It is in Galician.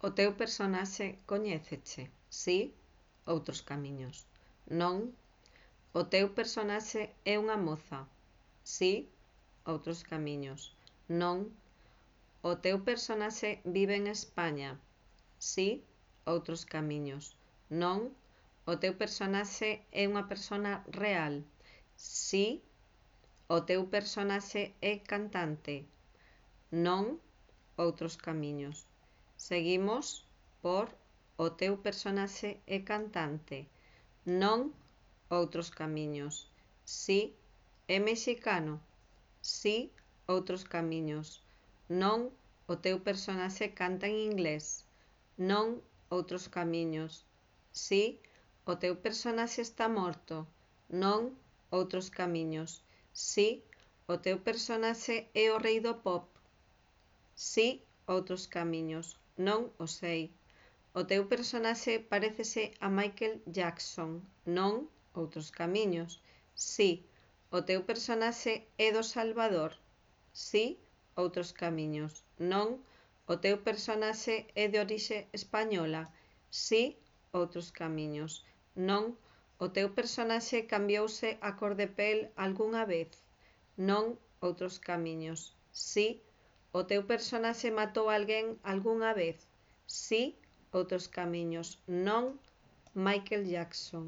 O teu personaxe coñéceche? Si? Outros camiños. Non. O teu personaxe é unha moza? Si? Outros camiños. Non. O teu personaxe vive en España? Si? Outros camiños. Non. O teu personaxe é unha persona real? Si? O teu personaxe é cantante? Non. Outros camiños. Seguimos por o teu personaxe é cantante? Non. Outros camiños. Si? É mexicano? Si? Outros camiños. Non. O teu personaxe canta en inglés? Non. Outros camiños. Si? O teu personaxe está morto? Non. Outros camiños. Si? O teu personaxe é o rei do pop? Si? Outros camiños. Non o sei. O teu personaxe parécese a Michael Jackson? Non. Outros camiños. Si? O teu personaxe é do Salvador? Si? Outros camiños. Non. O teu personaxe é de orixe española? Si? Outros camiños. Non. O teu personaxe cambiouse a cor de pel algunha vez? Non. Outros camiños. Si? O teu personaxe matou alguén algunha vez? Si? Outros camiños. Non. Michael Jackson.